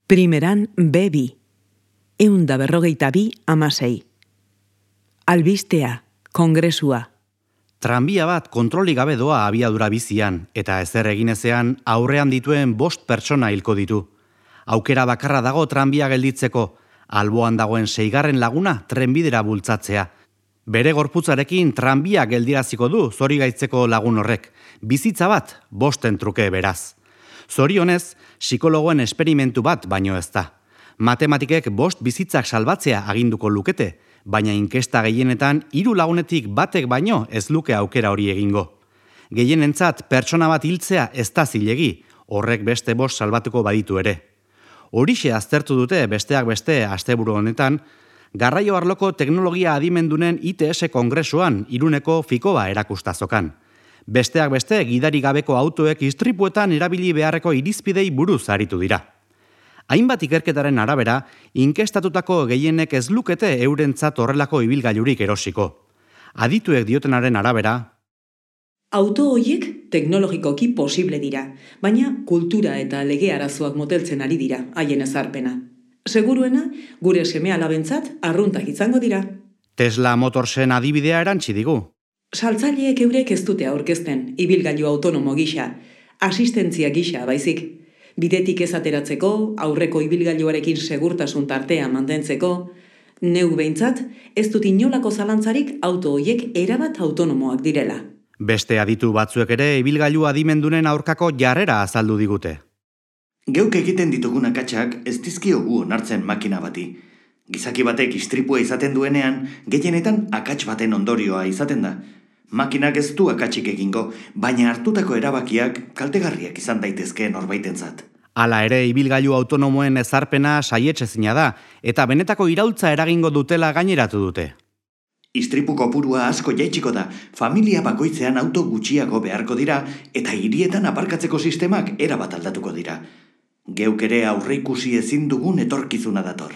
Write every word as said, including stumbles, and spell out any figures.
Primeran be bi, ehun da berrogeita bi amasei. Albistea, kongresua. Tranbia bat kontrolik gabe doa abiadura bizian, eta ezer egin ezean aurrean dituen bost pertsona hilko ditu. Aukera bakarra dago tranbia gelditzeko, alboan dagoen seigarren laguna trenbidera bultzatzea. Bere gorputzarekin tranbia geldiraziko du zorigaitzeko lagun horrek, bizitza bat bosten truke beraz. Zorionez, psikologoen esperimentu bat baino ez da. Matematikek bost bizitzak salbatzea aginduko lukete, baina inkesta gehienetan hiru lagunetik batek baino ez luke aukera hori egingo. Gehienentzat pertsona bat hiltzea ez da zilegi, horrek beste bost salbatuko baditu ere. Horixe aztertu dute besteak beste asteburu honetan, garraio arloko teknologia adimendunen I T S kongresuan Iruneko Fikoba erakustazokan. Besteak beste gidari gabeko autoek istripuetan erabili beharreko irizpidei buruz aritu dira. Hainbat ikerketaren arabera, inkestatutako gehienek ez lukete eurentzat horrelako ibilgailurik erosiko. Adituek diotenaren arabera, auto horiek teknologikoki posible dira, baina kultura eta lege arazoak moteltzen ari dira haien ezarpena. Seguruena, gure seme-alabentzat arruntak izango dira. Tesla Motorsen adibidea erantsi digu. Saltzaileek eurek ez dute aurkezten, ibilgailu autonomo gisa, asistentzia gisa baizik. Bidetik ez ateratzeko, aurreko ibilgailuarekin segurtasun tartea mantentzeko, neu behintzat, ez dut inolako zalantzarik auto horiek erabat autonomoak direla. Beste aditu batzuek ere ibilgailu adimendunen aurkako jarrera azaldu digute. Geuk egiten ditugun akatsak ez dizkiogu onartzen makina bati. Gizaki batek istripua izaten duenean, gehienetan akats baten ondorioa izaten da. Makinak ez du akatsik egingo, baina hartutako erabakiak kaltegarriak izan daitezke norbaitentzat. Hala ere, ibilgailu autonomoen ezarpena saietsezina da, eta benetako iraultza eragingo dutela gaineratu dute. Istripu kopurua asko jaitsiko da, familia bakoitzean auto gutxiago beharko dira, eta hirietan aparkatzeko sistemak erabat aldatuko dira. Geuk ere aurreikusi ezin dugun etorkizuna dator.